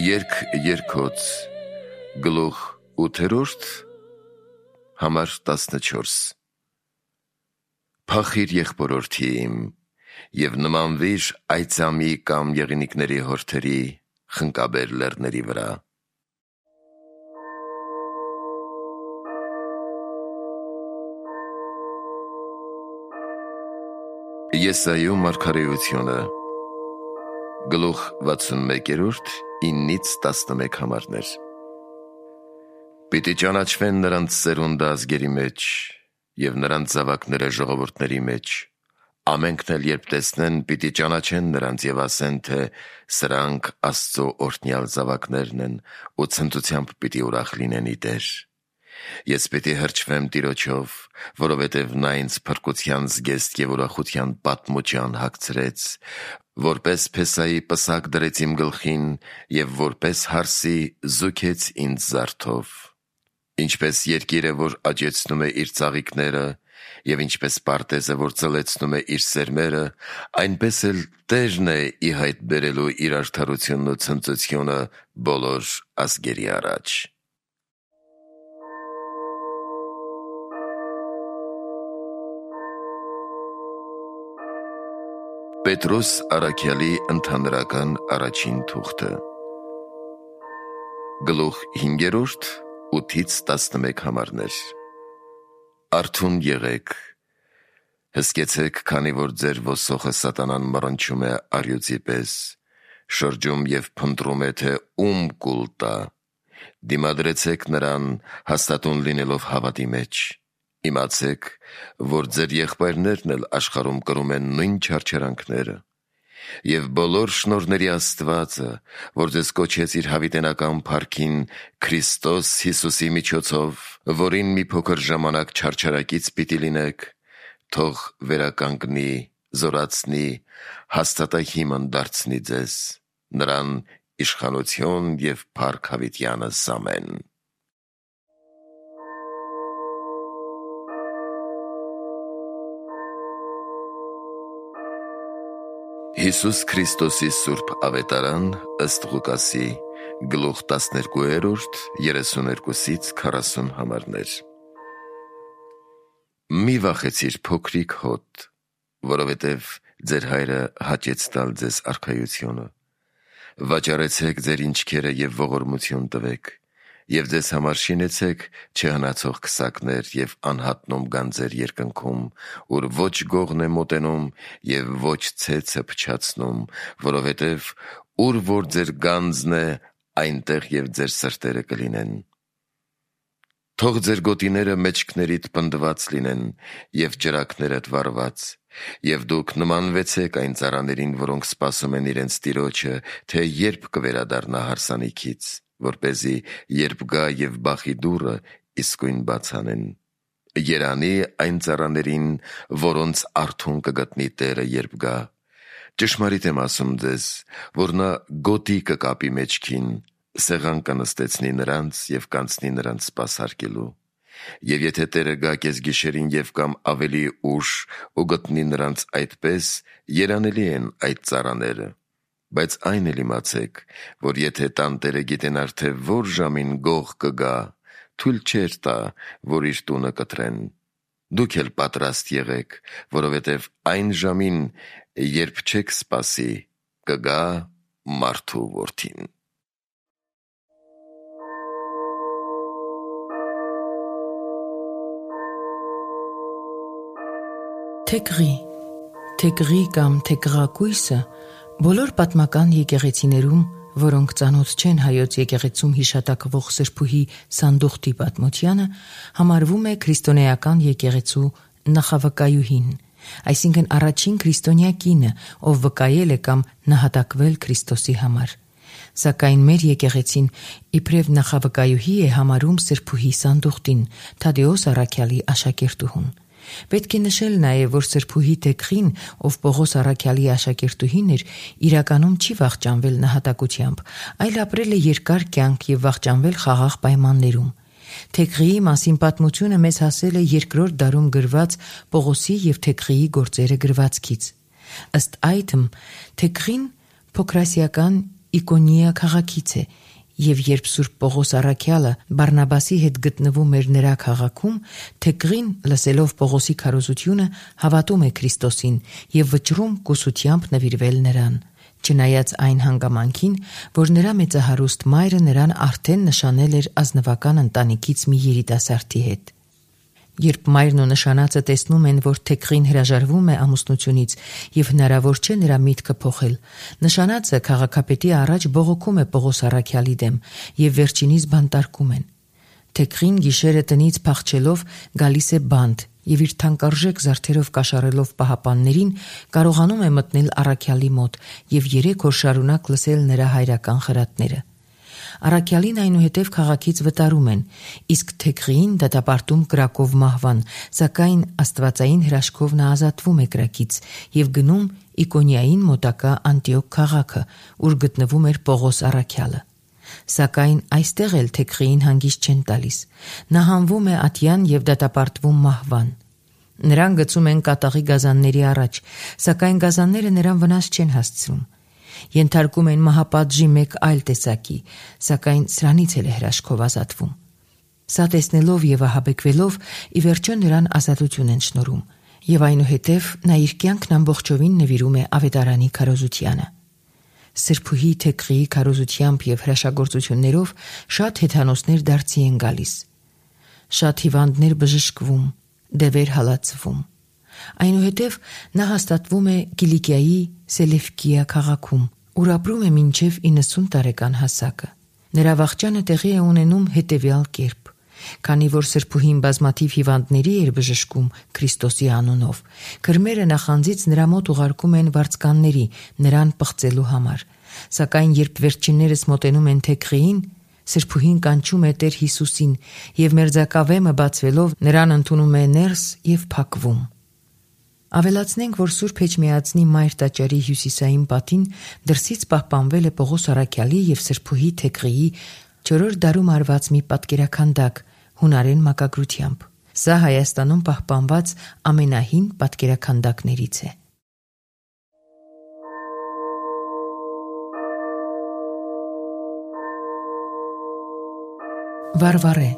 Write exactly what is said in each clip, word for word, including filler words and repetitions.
Երկ երկոց գլուխ ութերորդ համար տասնչորս Փախիր եղբորորդի իմ և նմանվիր այծամի կամ եղինիկների հորթերի խնկաբեր լեռների վրա։ Եսայու մարգարեությունը գլուխ վաթսունմեկերորդ իննից տասնմեկ համարներ։ Պիտի ճանաչվեն նրանց սերունդը ազգերի մեջ և նրանց զավակները ժողովուրդների մեջ, ամենքն էլ երբ տեսնեն, պիտի ճանաչեն նրանց և ասեն, թե սրանք Աստծո օրհնյալ զավակներն են ու ցնծությամբ պիտի ուրախ լինեն ի Տեր։ Ես պիտի հրճվեմ Տիրոջով, որովհետև նա ինձ փրկության զգեստ և ուրախության պատմության հագցրեց, որպես փեսայի պսակ դրեց իմ գլխին և որպես հարսի զուգեց ինձ զարդով։ Ինչպես երկիրը, որ աճեցնում է իր ծաղիկները, և ինչպես պարտեզը, որ ծլեցնում է իր սերմերը, այնպես էլ Տերն է ի հայտ բերելու իր արդարությունն ու ցնծությունը բոլոր ազգերի առաջ։ Պետրոս առաքյալի ընդհանրական առաջին թուղթը գլուխ հինգերորդ ութից տասնմեկ համարներ։ Արթուն եղեք, հսկեցեք, քանի որ ձեր ոսոխը սատանան մռնչում է առյուծի պես, շրջում և փնտրում է, թե ում կուլ տա։ Դիմադրեցեք նրան, հաստատուն լինելով հավատի մեջ։ Իմացեք, որ ձեր եղբայրներն էլ աշխարհում կրում են նույն չարչարանքները։ Եվ բոլոր շնորհների Աստվածը, որ ձեզ կոչեց իր հավիտենական փառքին Քրիստոս Հիսուսի միջոցով, որին մի փոքր ժամանակ չարչարակից պիտի լինեք, թող վերականգնի, զորացնի, հաստատահիմն դարձնի ձեզ, նրան իշխանություն և փառք հավիտյանս ամեն։ Հիսուս Քրիստոսի սուրբ ավետարան ըստ Ղուկասի գլուխ տասներկուերորդ երեսուներկուսից քառասուն համարներ։ Մի վախեցիր փոքրիկ հոտ, որովհետև ձեր հայրը հաճեց տալ ձեզ արքայությունը։ Վաճառեցեք ձեր ինչքերը և ողորմություն տվեք, և ձեզ համար շինեցեք չհնացող քսակներ և անհատնում գանձեր երկնքում, ուր ոչ գողն է մոտենում և ոչ ցեցը փչացնում, որովհետև ուր որ ձեր գանձն է, այնտեղ և ձեր սրտերը կլինեն։ Թող ձեր գոտիները մեջքներիդ պնդված լինեն և ճրագներդ վառված, և դուք նմանվեցեք այն ծառաներին, որոնք սպասում են իրենց տիրոջը, թե երբ կվերադառնա հարսանիքից, որպեսզի երբ գա և բախի դուռը իսկույն բաց անեն։ Երանի այն ծառաներին, որոնց արթուն կգտնի Տերը, երբ գա։ Ճշմարիտ եմ ասում ձեզ, որ նա գոտի կկապի մեջքին, սեղան կնստեցնի նրանց և կանցնի նրանց սպասարկելու։ Եվ եթե Տերը գա կեսգիշերին և կամ ավելի ուշ ու գտնի նրանց այդպես, երանելի են այդ ծառաները։ Բայց այն էլ իմացեք, որ եթե տանտերը գիտենար, թե որ ժամին գող կգա, թույլ չէր տա, որ իր տունը կտրեն։ Դուք էլ պատրաստ եղեք, որովհետև այն ժամին, երբ չեք սպասի, կգա մարդու որդին։ Թեգրի Թեգրի կամ թեգրակույսը բոլոր պատմական եկեղեցիներում, որոնք ծանոթ չեն հայոց եկեղեցում հիշատակվող Սրբուհի Սանդուղթի պատմությանը, համարվում է քրիստոնեական եկեղեցու նախավկայուհին, այսինքն առաջին քրիստոնյա կինը, ով վկայել է կամ նահատակվել Քրիստոսի համար։ Սակայն մեր եկեղեցին իբրև նախավկայուհի է համարում Սրբուհի Սանդուղթին, Թադեոս առաքյալի աշակերտուհուն։ Պետք է նշել նաև, որ Սրբուհի Թեգրին, ով Պողոս առաքյալի աշակերտուհին էր, իրականում չի վախճանվել նահատակությամբ, այլ ապրել է երկար կյանք և վախճանվել խաղաղ պայմաններում։ Թեգրիի մասին պատմությունը մեզ հասել է երկրորդ դարում գրված Պողոսի և Թեգրիի գործերը գրվածքից։ Ըստ այդմ, Թեգրին փոքրասիական Իկոնիա քաղաքից է, եւ երբ Սուրբ Պողոս առաքյալը Բարնաբասի հետ գտնվում էր նրա քաղաքում, Թեգրին, լսելով Պողոսի քարոզությունը, հավատում է Քրիստոսին եւ վճռում կուսությամբ նվիրվել նրան, չնայած այն հանգամանքին, որ նրա մեծահարուստ մայրը նրան արդեն նշանել էր ազնվական ընտանիքից մի երիտասարդի հետ։ Երբ մայրն ու նշանածը տեսնում են, որ Թեգրին հրաժարվում է ամուսնությունից եւ հնարավոր չէ նրա միտքը փոխել, նշանածը քաղաքապետի առաջ բողոքում է Պողոս առաքյալի դեմ եւ վերջինիս բանտարկում են։ Թեգրին գիշերը տնից փախչելով գալիս է բանտ եւ իր թանկարժեք զարդերով կաշառելով պահապաններին կարողանում է մտնել առաքյալի մոտ եւ երեք օր շարունակ լսել նրա հայրական խրատները։ Առաքյալին այնուհետև քաղաքից վտարում են, իսկ Թեգրին դատապարտում կրակով մահվան, սակայն աստվածային հրաշքով նա ազատվում է կրակից եւ գնում Իկոնիային մոտակա Անտիոք քաղաքը, ուր գտնվում էր Պողոս առաքյալը։ Սակայն այստեղ էլ Թեգրին հանգիստ չեն տալիս։ Նա հանվում է ատյան եւ դատապարտվում մահվան։ Նրան գցում են կատաղի գազանների առաջ, սակայն գազանները նրան վնաս չեն հասցնում։ Ենթարկում են մահապատժի մեկ այլ տեսակի, սակայն սրանից էլ է հրաշքով ազատվում։ Սա տեսնելով եւ ահաբեկվելով ի վերջո նրան ազատություն են շնորհում եւ այնուհետև նա իր կյանքն ամբողջովին նվիրում է ավետարանի քարոզությանը։ Սրբուհի Թեգրիի քարոզությամբ եւ հրաշագործություններով շատ հեթանոսներ դարձի են գալիս։ Շատ հիվանդներ բժշկվում, դևեր հալածվում։ Այնուհետև նա հաստատվում է Կիլիկիայի Սելևկիա քաղաքում, ուր ապրում է մինչև իննսուն տարեկան հասակը։ Նրա վախճանը տեղի է ունենում հետևյալ կերպ. քանի որ սրբուհին բազմաթիվ հիվանդների էր բժշկում Քրիստոսի անունով, քրմերը նախանձից նրա մոտ ուղարկում են վարձկանների նրան պղծելու համար, սակայն երբ վերջիններս մոտենում են Թեգրիին, սրբուհին կանչում է Տեր Հիսուսին եւ մերձակավեմը բացվելով նրան ընդունում է ներս եւ փակվում։ Ավելացնենք, որ Սուրբ Էջմիածնի Մայր տաճարի հյուսիսային պատին դրսից պահպանվել է Պողոս առաքյալի եւ սրբուհի Թեգրիի չորրորդ դարում արված մի պատկերաքանդակ հունարեն մակագրությամբ։ Սա Հայաստանում պահպանված ամենահին պատկերաքանդակներից է։ Վարվարե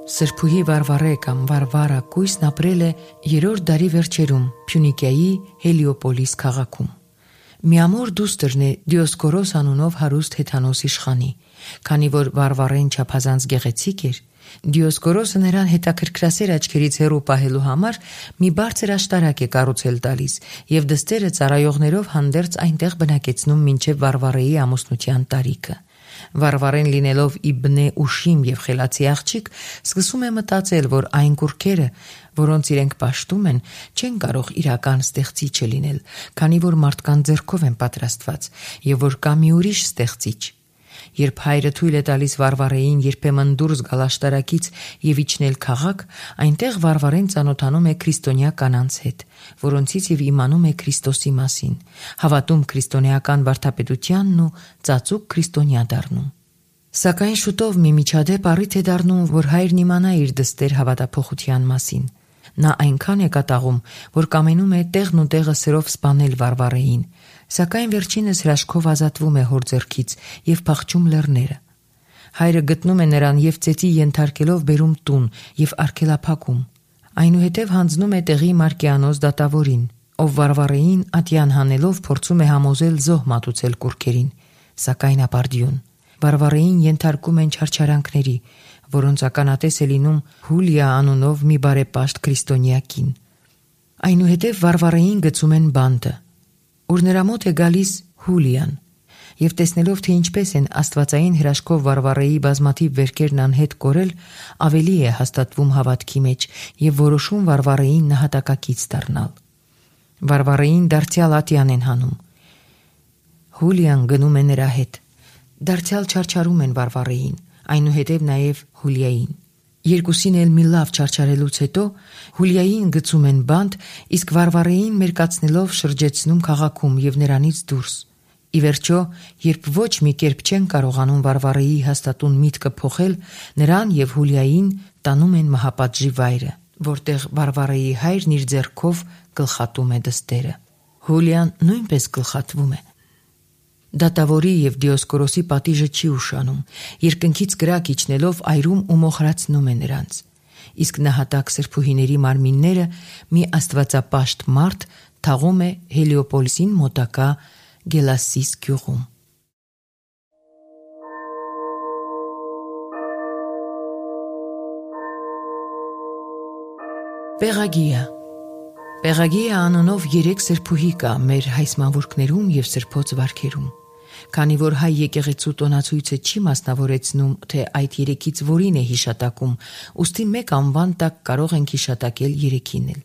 Սրբուհի Վարվարե կամ Վարվարա կույսն ապրել է երրորդ դարի վերջերում Փյունիկիայի Հելիոպոլիս քաղաքում։ Միամոր դուստրն է Դիոսկորոս անունով հարուստ հեթանոս իշխանի, քանի որ Վարվարեն չափազանց գեղեցիկ էր, Դիոսկորոսը նրան հետաքրքրասեր աչքերից հեռու պահելու համար մի բարձր աշտարակ է կառուցել տալիս եւ դստերը ծառայողներով հանդերձ այնտեղ բնակեցնում մինչև Վարվարեի ամուսնության տարիքը։ Վարվարեն լինելով Իբնե Ուշիմ եւ խելացի աղջիկ, սկսում է մտածել, որ այն կուռքերը, որոնց իրենք պաշտում են, չեն կարող իրական ստեղծիչը լինել, քանի որ մարդկան ձեռքով են պատրաստված եւ որ կա մի ուրիշ ստեղծիչ։ Երբ հայրը թույլ է տալիս Վարվարեին երբեմն դուրս գալ աշտարակից եւ իջնել քաղաք, այնտեղ Վարվարեն ծանոթանում է քրիստոնյա կանանց հետ, որոնցից եւ իմանում է Քրիստոսի մասին, հավատում քրիստոնեական վարդապետությանն ու ծածուկ քրիստոնյա դառնում։ Սակայն շուտով մի միջադեպ առիթ է դառնում, որ հայրն իմանա իր դստեր հավատափոխության մասին։ Նա այնքան է կատաղում, որ կամենում է տեղն ու տեղը սրով սպանել Վարվարեին, սակայն վերջինս հրաշքով ազատվում է հոր ձեռքից եւ փախչում լեռները։ Հայրը գտնում է նրան եւ ծեծի ենթարկելով բերում տուն եւ արգելափակում։ Այնուհետև հանձնում է տեղի Մարկիանոս դատավորին, ով Վարվարեին ատյան հանելով փորձում է համոզել զոհ մատուցել կուռքերին, սակայն ապարդյուն։ Վարվարեին ենթարկում են չարչարանքների, որոնց ականատես է լինում Հուլիա անունով մի բարեպաշտ քրիստոնյա կին։ Այնուհետև Վարվարեին գցում են բանտը, ուր նրա մոտ է գալիս Հուլիան, եւ տեսնելով, թե ինչպես են աստվածային հրաշքով Վարվարեի բազմաթիվ վերքերն անհետ կորել, ավելի է հաստատվում հավատքի մեջ եւ որոշում Վարվարեին նահատակակից դառնալ։ Վարվարեին դարձյալ ատյան են հանում։ Հուլիան գնում է նրա հետ։ Դարձյալ չարչարում են Վարվարեին, այնուհետև նաև Հուլիային։ Երկուսին էլ մի լավ չարչարելուց հետո Հուլիային գցում են բանտ, իսկ Վարվարեին մերկացնելով շրջեցնում քաղաքում եւ նրանից դուրս։ Ի վերջո, երբ ոչ մի կերպ չեն կարողանում Վարվարեի հաստատուն միտքը փոխել, նրան եւ Հուլիային տանում են մահապատժի վայրը, որտեղ Վարվարեի հայրն իր ձեռքով գլխատում է դստերը։ Հուլիան նույնպես գլխատվում է։ Դատավորի եւ Դիոսկորոսի պատիժը չի ուշանում, երկնքից կրակ իջնելով այրում ու մոխրացնում է նրանց։ Իսկ նահատակ սրբուհիների մարմինները մի աստվածապաշտ մարդ թաղում է Հելիոպոլիսին մոտակա Գելասիս գյուղում։ Պեղագիա Պեղագիա անունով երեք սրբուհի կա մեր հայսմավուրկներում եւ սրբոց վարքերում։ Քանի որ հայ եկեղեցու տոնացույցը չի մասնավորեցնում, թե այդ երեքից որին է հիշատակում, ուստի մեկ անվան տակ կարող ենք հիշատակել երեքին էլ։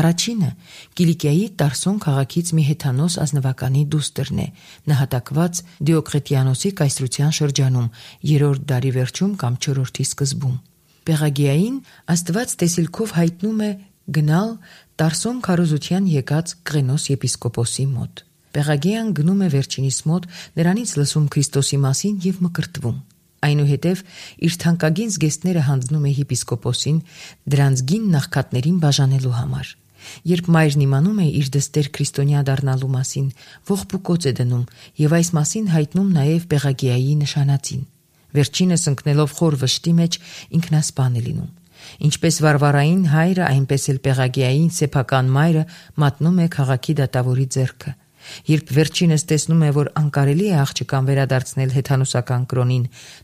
Առաջինը Կիլիկիայի Տարսոն քաղաքից մի հեթանոս ազնվականի դուստրն է, նահատակված Դիոկլետիանոսի կայսրության շրջանում, երրորդ դարի վերջում կամ չորրորդի սկզբում։ Պեղագիային Աստված տեսիլքով հայտնում է գնալ Տարսոն քարոզության եկած Կղենոս եպիսկոպոսի մոտ։ Պեղագիան գնում է վերջինիս մոտ, նրանից լսում Քրիստոսի մասին եւ մկրտվում։ Այնուհետև իր թանկագին զգեստները հանձնում է եպիսկոպոսին դրանց գին նախքատներին բաժանելու համար։ Երբ մայրն իմանում է իր դստեր քրիստոնյա դառնալու մասին, ողբուկոց է դնում եւ այս մասին հայտնում նաեւ Պեղագիայի նշանածին։ Վերջինս ընկնելով խոր վշտի մեջ ինքնասպան է լինում։ Ինչպես Վարվարային հայրը, այնպես էլ Պեղագիային սեփական մայրը մատնում է քաղաքի դատավորի ձեռքը։ Երբ վերջինս տեսնում է, որ անկարելի է աղջկան վերադարձնել հեթանոսական կրոնին,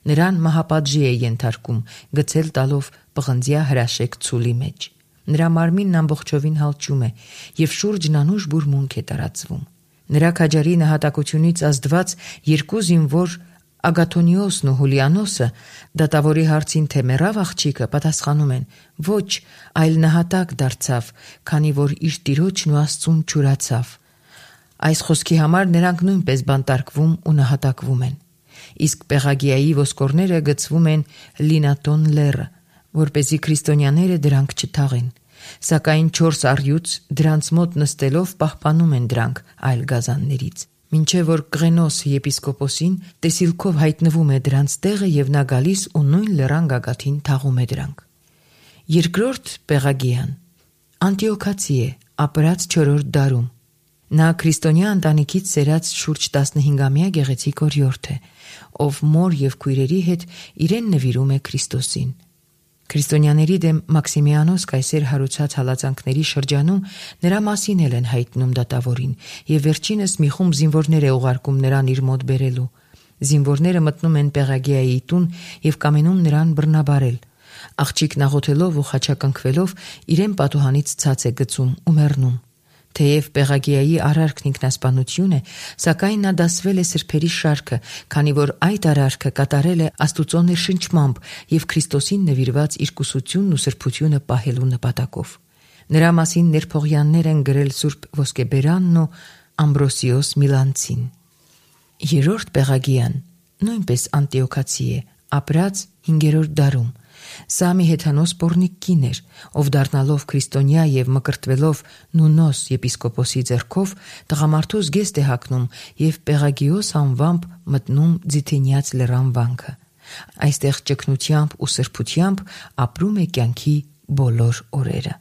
նրան մահապատժի է ենթարկում, գցել տալով պղնձյա հրաշեք ցուլի մեջ։ Նրա մարմինն ամբողջովին հալճում է եւ շուրջն անուշ բուրմունք է տարածվում։ Նրա քաջարի նահատակությունից ազդված երկու զինվոր Ագաթոնիոսն ու Հուլիանոսը դատավորի հարցին, թե մեռավ աղջիկը, պատասխանում են. ոչ, այլ նահատակ դարձավ, քանի որ իր տիրոջն ու Աստծուն չուրացավ։ Այս խոսքի համար նրանք նույնպես բանտարկվում ու նահատակվում են։ Իսկ Պեղագիայի ոսկորները գցվում են Լինատոն լեռը, որպեսզի քրիստոնյաները դրանք չթաղեն։ Սակայն չորս առյուծ դրանց մոտ նստելով պահպանում են դրանք այլ գազաններից։ Մինչև որ Կղենոս եպիսկոպոսին տեսիլքով հայտնվում է դրանց տեղը եւ նա գալիս ու նույն լեռան գագաթին թաղում է դրանք։ Երկրորդ Պեղագիան Անտիոքացի է, ապրած չորրորդ դարում։ Նա քրիստոնյա ընտանիքից սերած շուրջ տասնհինգամյա գեղեցիկ օրիորդ է, ով մոր եւ քույրերի հետ իրեն նվիրում է Քրիստոսին։ Քրիստոնյաների դեմ Մաքսիմիանոս կայսեր հարուցած հալածանքների շրջանում նրա մասին էլ են հայտնում դատավորին եւ վերջինս մի խումբ զինվորներ է ուղարկում նրան իր մոտ բերելու։ Զինվորները մտնում են Պեղագիայի տուն եւ կամենում նրան բռնաբարել։ Աղջիկն աղոթելով ու խաչակնքվելով իրեն պատուհանից ցած է գցում ու մեռնում։ Թեև Պեղագիայի արարքն ինքնասպանություն է, սակայն նա դասվել է սրբերի շարքը, քանի որ այդ արարքը կատարել է Աստուծո ներշնչմամբ եւ Քրիստոսին նվիրված իր կուսությունն ու սրբությունը պահելու նպատակով։ Նրա մասին ներփողյաններ են գրել Սուրբ Ոսկեբերանն ու Ամբրոսիոս Միլանցին։ Երրորդ Պեղագիան նույնպես անտիոքացի է, ապրած հինգերորդ դարում։ Սա մի հեթանոս պոռնիկ կին էր, ով դառնալով քրիստոնյա եւ մկրտվելով Նունոս եպիսկոպոսի ձեռքով տղամարդու զգեստ է հագնում եւ Պեղագիոս անվամբ մտնում Ձիթենյաց լեռան վանքը։ Այստեղ ճգնությամբ ու սրբությամբ ապրում է կյանքի բոլոր օրերը։